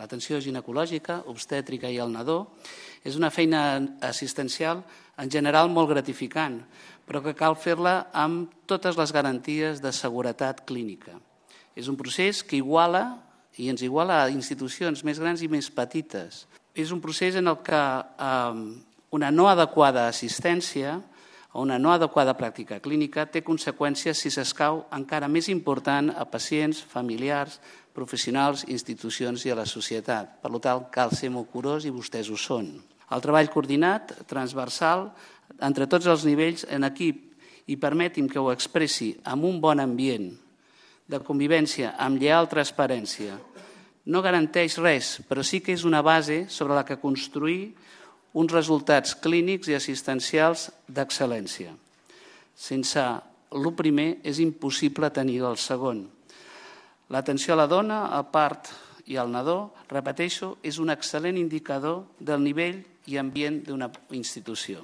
L'atenció ginecològica, obstètrica i al nadó és una feina assistencial en general molt gratificant, però que cal fer-la amb totes les garanties de seguretat clínica. És un procés que iguala i ens iguala a institucions més grans i més petites. És un procés en el que una no adequada assistència o una no adequada pràctica clínica té conseqüències, si s'escau, encara més important a pacients, familiars, professionals, institucions i a la societat. Per tant, cal ser molt curós i vostès ho són. El treball coordinat, transversal, entre tots els nivells en equip, i permeti'm que ho expressi amb un bon ambient de convivència, amb lleial transparència, no garanteix res, però sí que és una base sobre la que construir uns resultats clínics i assistencials d'excel·lència. Sense el primer és impossible tenir el segon. L'atenció a la dona, al part i al nadó, repeteixo, és un excel·lent indicador del nivell i ambient d'una institució.